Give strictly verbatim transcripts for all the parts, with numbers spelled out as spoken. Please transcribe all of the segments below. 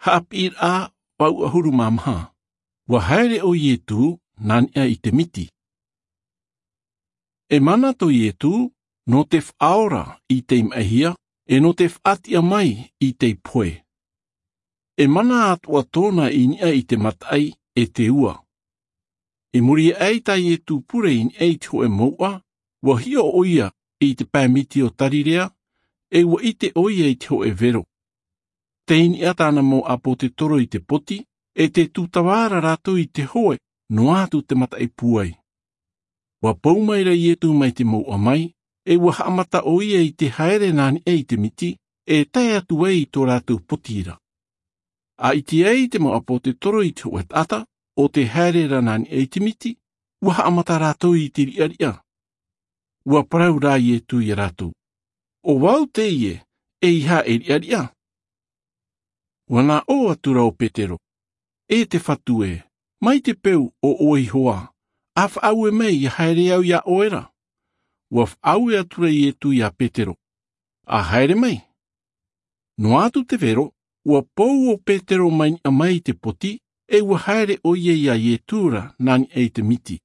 Haʻapiʻiraʻa vau ʻahuru mā maha. Ua haere ʻo ietū nā niʻa i te miti. E mana tō ietū nō te faʻaora i tei maʻihia, e nō te faʻatiʻa mai i tei pohe. E mana atoʻa tōna i niʻa i te mataʻi e te ua. I muri aʻe i tā ietū pure i niʻa i te hoʻe mouʻa, ua hiʻo ʻo ia i te pae miti o tarirea, e ua ʻite ʻo ia i te hoʻe vero. Tei niʻa tāna mau ʻāpōtetoro i te poti, e te tūtava ra rātou i te hoʻe noa atu te mataʻi pūai. Ua pou mai ra ietū mai te mouʻa mai, e ua haʻamata ʻo ia i te haere nā niʻa i te miti, e tae atu ai i tō rātou poti ra. A ʻite ai te mau ʻāpōtetoro i te hoʻe taʻata o te haere ra nā niʻa i te miti, ua haʻamata rātou i te riʻariʻa. Ua parau rā ietū iā rātou, ʻo vau teie, e ʻeiaha e riʻariʻa. Ua nā ʻō atu ra ʻo petero, e te fatu ē, mai te peu ʻo ʻoe iho ā, a faʻaue mai ia haere au iā ʻoe ra. Ua faʻaue atu ra ietū iā petero, a haere mai. Noa atu te vero, ua pou ʻo petero mai niʻa mai i te poti, e ua haere ʻo ia iā ietū ra nā niʻa i te miti.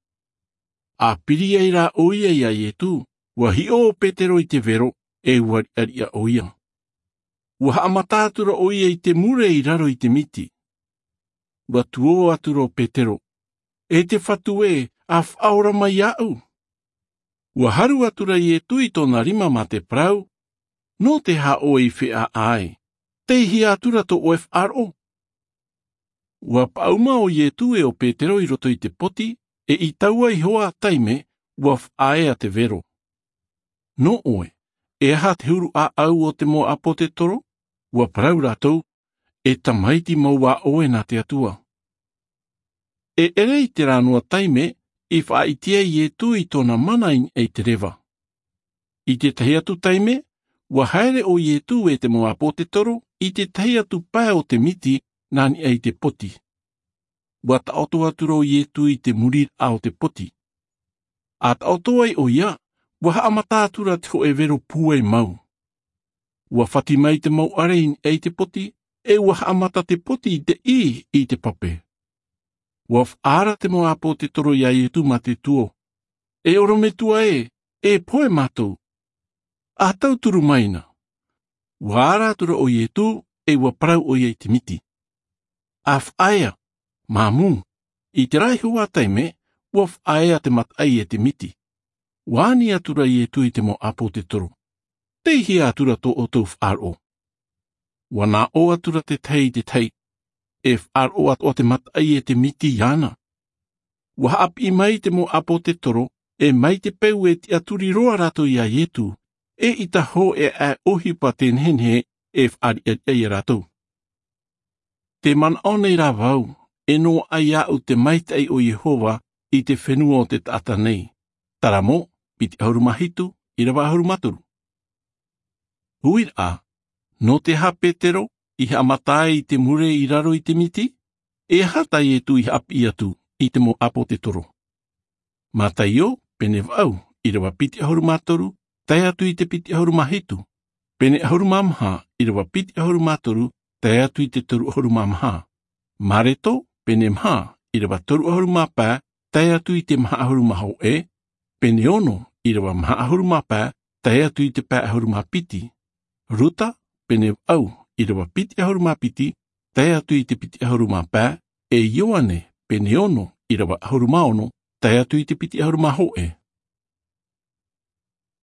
A piri ai rā ʻo ia iā ietū, ua hiʻo ʻo petero i te vero, e ua riʻariʻa ʻo ia. Ua haʻamata atu ra ʻo ia i te mure i raro i te miti. Ua tuō atu ra ʻo petero, e te fatu ē, a faʻaora mai iāʻu. Ua haru atu ra ietū i tōna rima mā te parau, nō te aha ʻoe i feʻaʻa ai? Teihea atu ra tō ʻoe faʻaroʻo. Ua paʻuma ʻo ietū e ʻo petero i roto i te poti, e i taua iho ā taime, ua faʻaea te vero. Nō ʻoe, e aha te huru ʻāʻau o te mau ʻāpōtetoro? Ua parau rātou, e tamaiti mau ā ʻoe nā te atua. E ʻere i terā noa taime, i faʻaʻite ai ietū i tōna mana i niʻa i te reva. I tētahi atu taime, ua haere ʻo ietū e te mau ʻāpōtetoro i tētahi atu pae o te miti nā niʻa i te poti. Ua taʻoto atu ra ʻo ietū i te muriraʻa o te poti. A taʻoto ai ʻo ia, ua haʻamata atu ra te hoʻe vero pūai mau. Ua fati mai te mau ʻare i niʻa i te poti, e ua haʻamata te poti i te ʻī i te pape. Ua faʻaara te mau ʻāpōtetoro iā ietū mā te tuō, e ʻorometua ē, e pohe mātou. A tauturu mai na. Ua ara atu ra ʻo ietū, e ua parau ʻo ia i te miti, a faʻaea, māmū. I terā iho ā taime, ua faʻaea te mataʻi e te miti. Ua ani atu ra ietū i te mau ʻāpōtetoro, teihea atu ra tō ʻoutou faʻaroʻo? Ua nā ʻō atu ra tētahi i tētahi, e faʻaroʻo atoʻa te mataʻi e te miti iāna. Ua haʻapiʻi mai te mau ʻāpōtetoro, e mai te peu e tiʻaturi roa rātou iā ietū, e ʻita hōʻē ʻohipa te nehenehe, e faʻariʻariʻa iā rātou. Te manaʻo nei rā vau, e noaʻa iāʻu te maitaʻi o iehova i te fenua o te taʻata nei. Taramo piti ʻahuru mā hitu, ʻirava ʻahuru mā toru. Huiraʻa, nō te aha petero i haʻamata ai i te mure i raro i te miti? E aha tā ietū i haʻapiʻi atu i te mau ʻāpōtetoro? Mataio pene vaʻu, ʻirava piti ʻahuru mā toru, tae atu i te piti ʻahuru mā hitu. Pene ʻahuru mā maha, ʻirava piti ʻahuru mā toru, tae atu i te toru ʻahuru mā maha. Mareto pene maha, ʻirava toru ʻahuru mā pae, tae atu i te maha ʻahuru mā hōʻē. Pene ono, ʻirava maha ʻahuru mā pae, tae atu i te pae ʻahuru mā piti. Ruta pene vaʻu, ʻirava piti ʻahuru mā piti, tae atu i te piti ʻahuru mā pae. E ioane pene ono, ʻirava ʻahuru mā ono, tae atu i te piti ʻahuru mā hōʻē.